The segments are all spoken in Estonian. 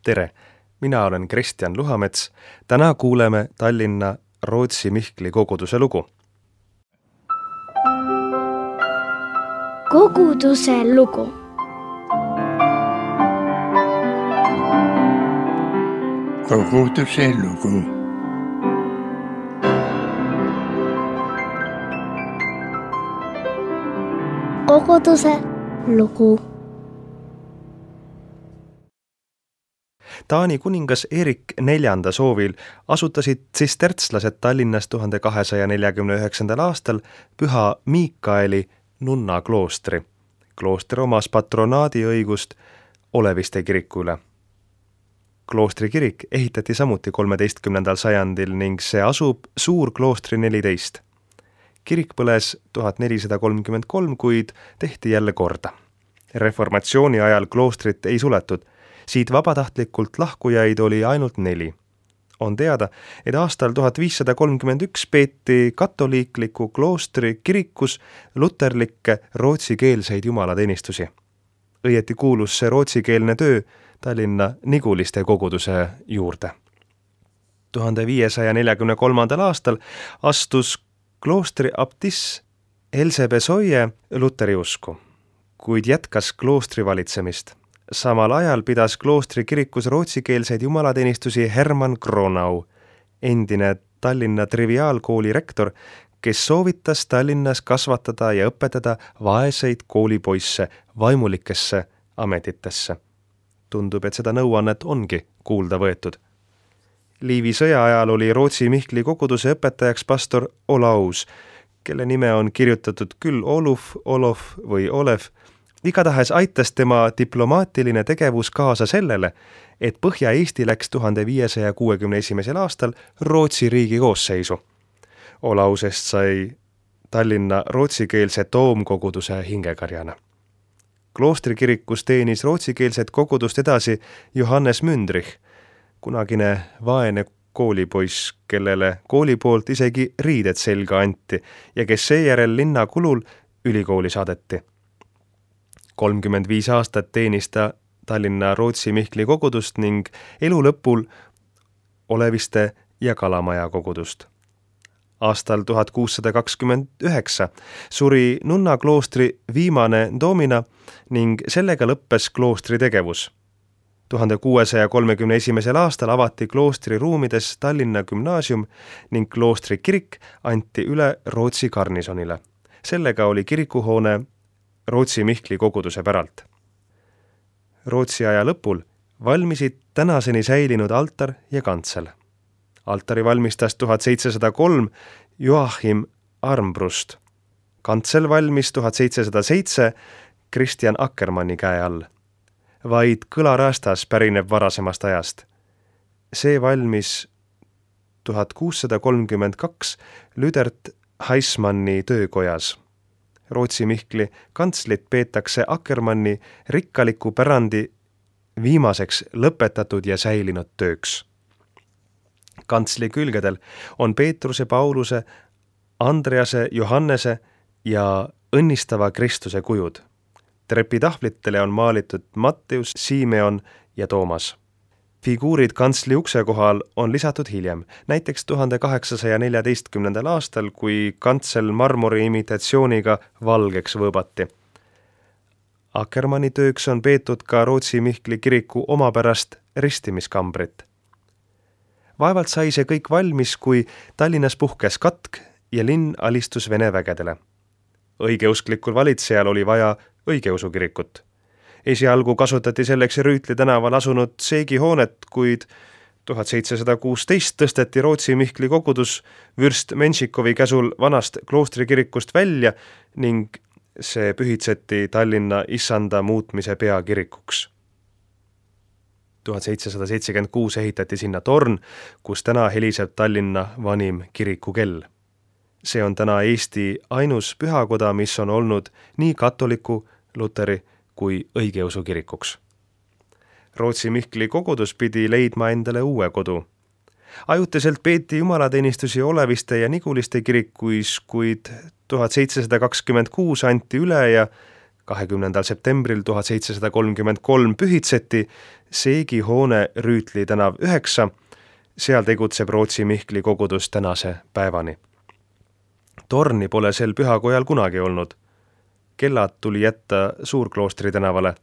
Tere! Mina olen Kristjan Luhamets. Täna kuuleme Tallinna Rootsi Mihkli koguduse lugu. Koguduse lugu. Koguduse lugu. Koguduse lugu. Taani kuningas Erik IV soovil asutasid tsistertslased Tallinnas 1249. aastal Püha Miikaeli nunnakloostri. Klooster omas patronaadiõigust Oleviste kiriku üle. Kloostri kirik ehitati samuti 13. sajandil ning see asub Suurkloostri 14. Kirik põles 1433, kuid tehti jälle korda. Reformatsiooni ajal kloostrit ei suletud. Siit vabatahtlikult lahkujaid oli ainult 4. On teada, et aastal 1531 peeti katoliikliku kloostri kirikus luterlikke rootsikeelseid jumalateenistusi. Õieti kuulus see rootsikeelne töö Tallinna Niguliste koguduse juurde. 1543. aastal astus kloostri abtiss Else Besoye luteri usku, kuid jätkas kloostri valitsemist. Samal ajal pidas kloostri kirikus rootsikeelseid jumalateenistusi Hermann Kronau, endine Tallinna triviaalkooli rektor, kes soovitas Tallinnas kasvatada ja õpetada vaeseid koolipoisse vaimulikesse ametitesse. Tundub, et seda nõuannet ongi kuulda võetud. Liivi sõja ajal oli Rootsi Mihkli koguduse õpetajaks pastor Olaus, kelle nime on kirjutatud küll Oluf, Olof või Olev. Igatahes aitas tema diplomaatiline tegevus kaasa sellele, et Põhja-Eesti läks 1561. aastal Rootsi riigi koosseisu. Olausest sai Tallinna rootsikeelse toomkoguduse hingekarjana. Kloostrikirikus teenis rootsikeelset kogudust edasi Johannes Mündrich, kunagine vaene koolipoiss, kellele kooli poolt isegi riided selga anti ja kes seejärel linna kulul ülikooli saadeti. 35 aastat teenis ta Tallinna Rootsi Mihkli kogudust ning elu lõpul Oleviste ja Kalamaja kogudust. Aastal 1629 suri nunnakloostri viimane doomina ning sellega lõppes kloostri tegevus. 1631. aastal avati kloostri ruumides Tallinna gümnaasium ning kloostri kirik anti üle Rootsi garnisonile. Sellega oli kirikuhoone Rootsi Mihkli koguduse päralt. Rootsi aja lõpul valmisid tänaseni säilinud altar ja kantsel. Altari valmistas 1703 Joachim Armbrust. Kantsel valmis 1707 Kristjan Akkermanni käe all. Vaid kõlarastas pärineb varasemast ajast. See valmis 1632 Lüdert Heismanni töökojas. Rootsi Mihkli kantslit peetakse Akkermanni rikkaliku pärandi viimaseks lõpetatud ja säilinud tööks. Kantsli külgedel on Peetruse, Pauluse, Andrease, Johannese ja õnnistava Kristuse kujud. Trepitahvlitele on maalitud Matteus, Simeon ja Toomas. Figuurid kantsli ukse kohal on lisatud hiljem, näiteks 1814. aastal, kui kantsel marmori imitatsiooniga valgeks võõbati. Akkermanni tööks on peetud ka Rootsi Mihkli kiriku omapärast ristimiskambrit. Vaevalt sai see kõik valmis, kui Tallinnas puhkes katk ja linn alistus Vene vägedele. Õigeusklikul valitsejal oli vaja õigeusu kirikut. Esialgu kasutati selleks Rüütli tänaval asunud seegihoonet, kuid 1716 tõsteti Rootsi Mihkli kogudus vürst Menšikovi käsul vanast kloostrikirikust välja ning see pühitseti Tallinna issanda muutmise peakirikuks. 1776 ehitati sinna torn, kus täna heliseb Tallinna vanim kirikukell. See on täna Eesti ainus pühakoda, mis on olnud nii katoliku, luteri kui õigeusu kirikuks. Rootsi Mihkli kogudus pidi leidma endale uue kodu. Ajutiselt peeti jumalateenistusi Oleviste ja Niguliste kirikuis, kuid 1726 anti üle ja 20. septembril 1733 pühitseti seegihoone Rüütli tänav 9, seal tegutseb Rootsi Mihkli kogudus tänase päevani. Torni pole sel pühakojal kunagi olnud. Kellad tuli jätta Suurkloostri tänavale.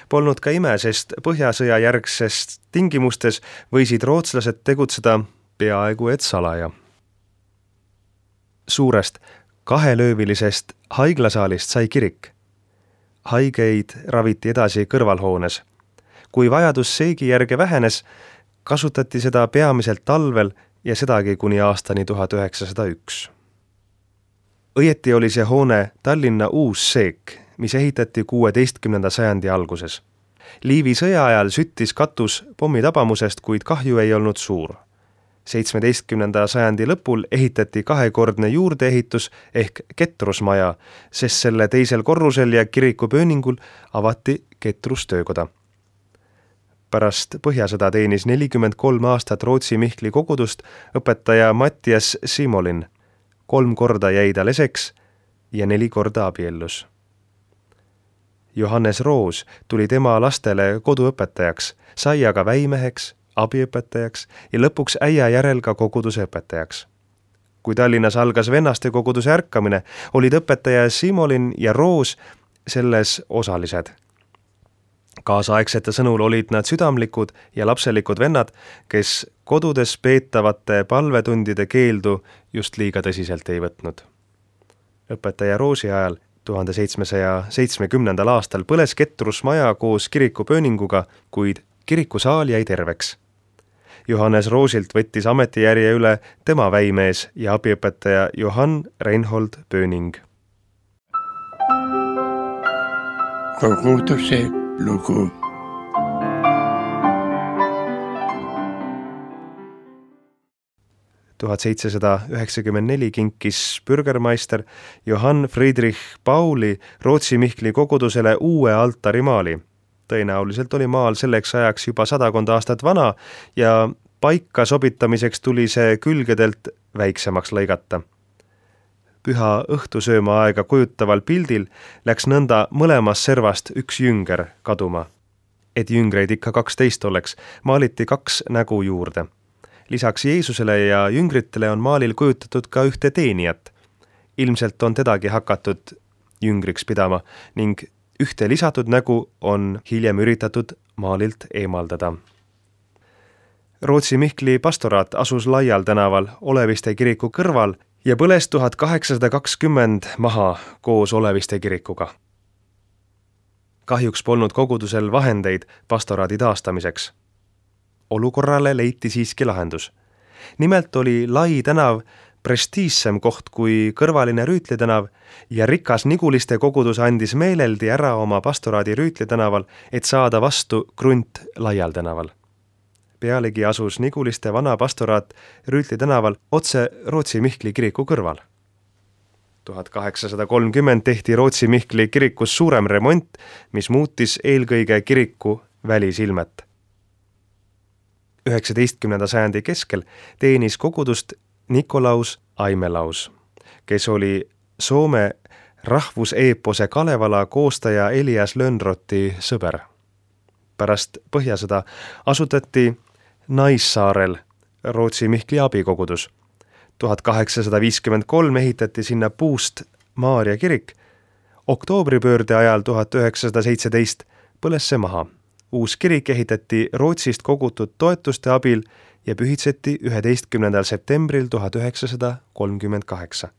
Polnud ka ime, sest Põhjasõja järgsest tingimustes võisid rootslased tegutseda peaaegu et salaja. Suurest 2-löövilisest haiglasaalist sai kirik. Haigeid raviti edasi kõrvalhoones. Kui vajadus seegi järge vähenes, kasutati seda peamiselt talvel ja sedagi kuni aastani 1901. Õieti oli see hoone Tallinna uus seek, mis ehitati 16. sajandi alguses. Liivi sõja ajal süttis katus pommitabamusest, kuid kahju ei olnud suur. 17. sajandi lõpul ehitati 2-kordne juurdeehitus ehk ketrusmaja, sest selle teisel korrusel ja kiriku pööningul avati ketrustöökoda. Pärast Põhjasõda teenis 43 aastat Rootsi Mihkli kogudust õpetaja Mattias Simolin. 3 korda jäi ta leseks ja 4 korda abiellus. Johannes Roos tuli tema lastele koduõpetajaks, sai aga väimeheks, abiõpetajaks ja lõpuks äia järel ka koguduse õpetajaks. Kui Tallinnas algas vennaste koguduse ärkamine, olid õpetaja Simolin ja Roos selles osalised. Kaasaegsete sõnul olid nad südamlikud ja lapselikud vennad, kes kodudes peetavate palvetundide keeldu just liiga tõsiselt ei võtnud. Õpetaja Roosi ajal 1770. aastal põles ketrusmaja koos kirikupööninguga, kuid kirikusaal jäi terveks. Johannes Roosilt võttis ametijärje üle tema väimees ja abiõpetaja Johann Reinhold Pööning. Koguduse lugu. Tuhat 1794 kinkis bürgermeister Johann Friedrich Pauli Rootsi Mihkli kogudusele uue altarimaali. Tõenäoliselt oli maal selleks ajaks juba 100 aastat vana ja paika sobitamiseks tuli see külgedelt väiksemaks lõigata. Püha õhtusööma aega kujutaval pildil läks nõnda mõlemas servast üks jünger kaduma. Et jüngreid ikka 12 oleks, maaliti 2 nägu juurde. Lisaks Jeesusele ja jüngritele on maalil kujutatud ka ühte teenijat. Ilmselt on tedagi hakatud jüngriks pidama ning ühte lisatud nägu on hiljem üritatud maalilt eemaldada. Rootsi Mihkli pastoraat asus Laial tänaval Oleviste kiriku kõrval ja põles 1820 maha koos Oleviste kirikuga. Kahjuks polnud kogudusel vahendeid pastoraadi taastamiseks. Olukorrale leiti siiski lahendus. Nimelt oli Lai tänav prestiissem koht kui kõrvaline Rüütli tänav ja rikas Niguliste kogudus andis meeleldi ära oma pastoraadi Rüütli tänaval, et saada vastu krunt Laial tänaval. Pealegi asus Niguliste vana pastoraat Rüütli tänaval otse Rootsi Mihkli kiriku kõrval. 1830 tehti Rootsi Mihkli kirikus suurem remont, mis muutis eelkõige kiriku välisilmet. 19. sajandi keskel teenis kogudust Nikolaus Aimelaus, kes oli Soome rahvuseepose Kalevala koostaja Elias Lönnrothi sõber. Pärast Põhjasõda asutati Naissaarel Rootsi Mihkli abikogudus. 1853 ehitati sinna puust Maarja kirik. Oktoobripöörde ajal 1917 põles see maha. Uus kirik ehitati Rootsist kogutud toetuste abil ja pühitseti 11. septembril 1938.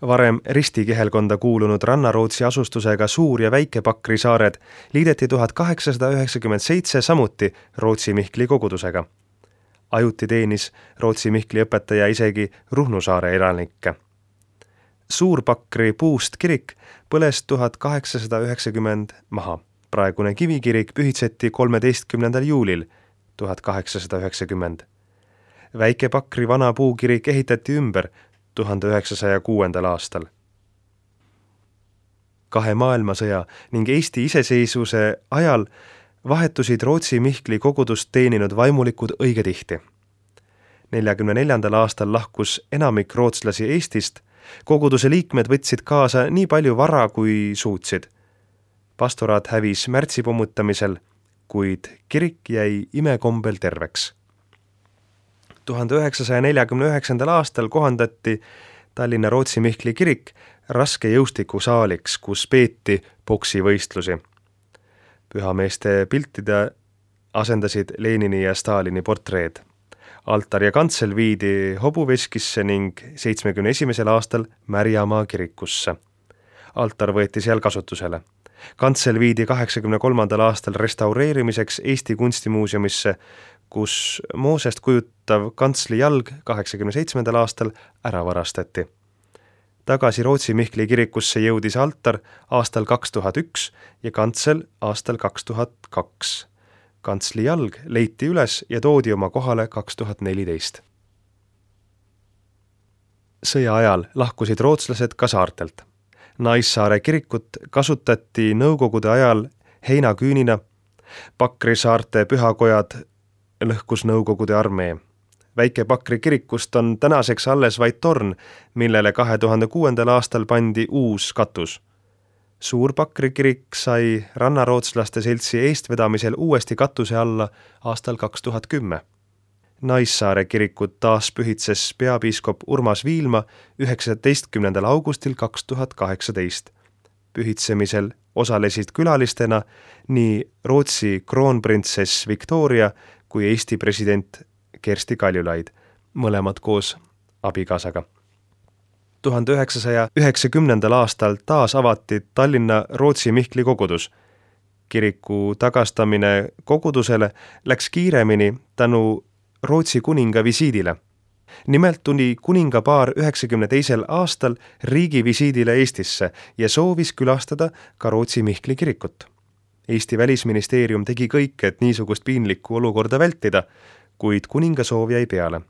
Varem ristikihelkonda kuulunud Ranna-Rootsi asustusega Suur- ja Väike-Pakri saared liideti 1897 samuti Rootsi Mihkli kogudusega. Ajuti teenis Rootsi Mihkli õpetaja isegi Ruhnu saare elanikke. Suur-Pakri puust kirik põles 1890 maha. Praegune kivikirik pühitseti 13. juulil 1890. Väike-Pakri vana puukirik ehitati ümber 1906. aastal. 2 maailmasõja ning Eesti iseseisvuse ajal vahetusid Rootsi Mihkli kogudust teeninud vaimulikud õige tihti. 1944. aastal lahkus enamik rootslasi Eestist, koguduse liikmed võtsid kaasa nii palju vara kui suutsid. Pastoraat hävis märtsi pommutamisel, kuid kirik jäi imekombel terveks. 1949. aastal kohandati Tallinna Rootsi Mihkli kirik raske jõustikusaaliks, kus peeti poksivõistlusi. Pühameeste piltide asendasid Lenini ja Stalini portreed. Altar ja kantsel viidi Hobuveskisse ning 71. aastal Märjamaa kirikusse. Altar võeti seal kasutusele. Kantsel viidi 83. aastal restaureerimiseks Eesti Kunstimuuseumisse, kus Moosest kujutav kantsli jalg 87. aastal ära varastati. Tagasi Rootsi Mihkli kirikusse jõudis altar aastal 2001 ja kantsel aastal 2002. Kantsli jalg leiti üles ja toodi oma kohale 2014. Sõja ajal lahkusid rootslased ka saartelt. Naissaare kirikut kasutati nõukogude ajal heinaküünina, Pakri saarte pühakojad lõhkus nõukogude armee. Väike Pakri kirikust on tänaseks alles vaid torn, millele 2006. aastal pandi uus katus. Suur Pakri kirik sai rannarootslaste seltsi eestvedamisel uuesti katuse alla aastal 2010. Naissaare kirikut taas pühitses peapiiskop Urmas Viilma 19. augustil 2018. Pühitsemisel osalesid külalistena nii Rootsi kroonprintsess Victoria kui Eesti president Kersti Kaljulaid, mõlemad koos abikaasaga. 1990. aastal taas avati Tallinna Rootsi Mihkli kogudus. Kiriku tagastamine kogudusele läks kiiremini tänu Rootsi kuninga visiidile. Nimelt tuli kuningapaar 92. aastal riigi visiidile Eestisse ja soovis külastada ka Rootsi Mihkli kirikut. Eesti välisministeerium tegi kõik, et niisugust piinlikku olukorda vältida, kuid kuninga soov jäi peale.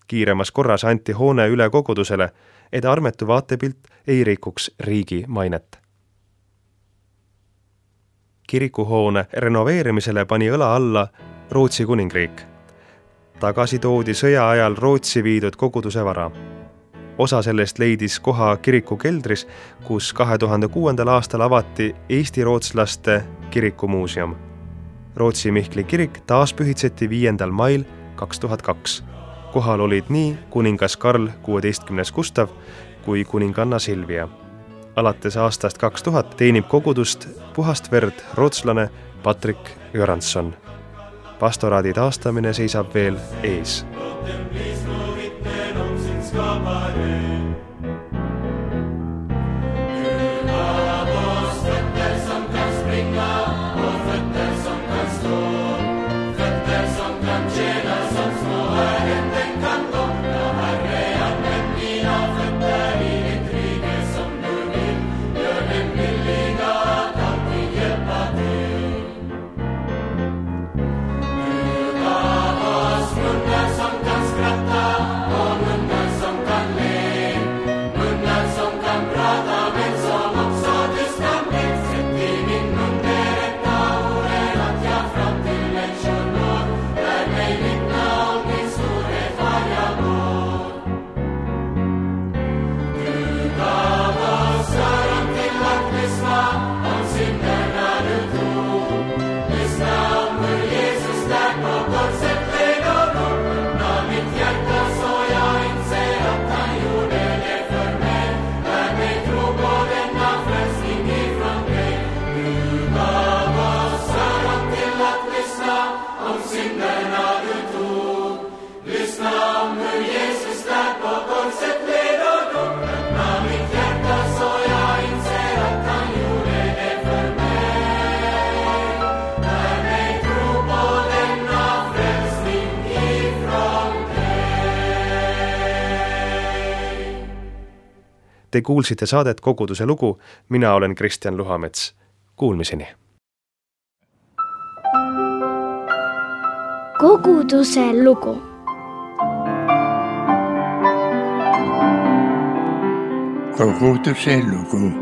Kiiremas korras anti hoone üle kogudusele, et armetu vaatepilt ei rikuks riigi mainet. Kirikuhoone renoveerimisele pani õla alla Rootsi kuningriik. Tagasi toodi sõja ajal Rootsi viidud koguduse vara. Osa sellest leidis koha kiriku keldris, kus 2006. aastal avati Eesti rootslaste kirikumuuseum. Rootsi Mihkli kirik taas pühitseti 5. mail 2002. Kohal olid nii kuningas Karl 16. Gustav kui kuninganna Silvia. Alates aastast 2000 teenib kogudust puhast verd rootslane Patrik Göransson. Pastoraadi taastamine seisab veel ees. Te kuulsite saadet Koguduse lugu, mina olen Kristjan Luhamets. Kuulmiseni! Koguduse lugu. Koguduse lugu.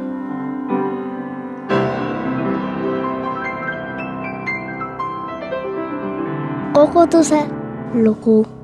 Koguduse lugu.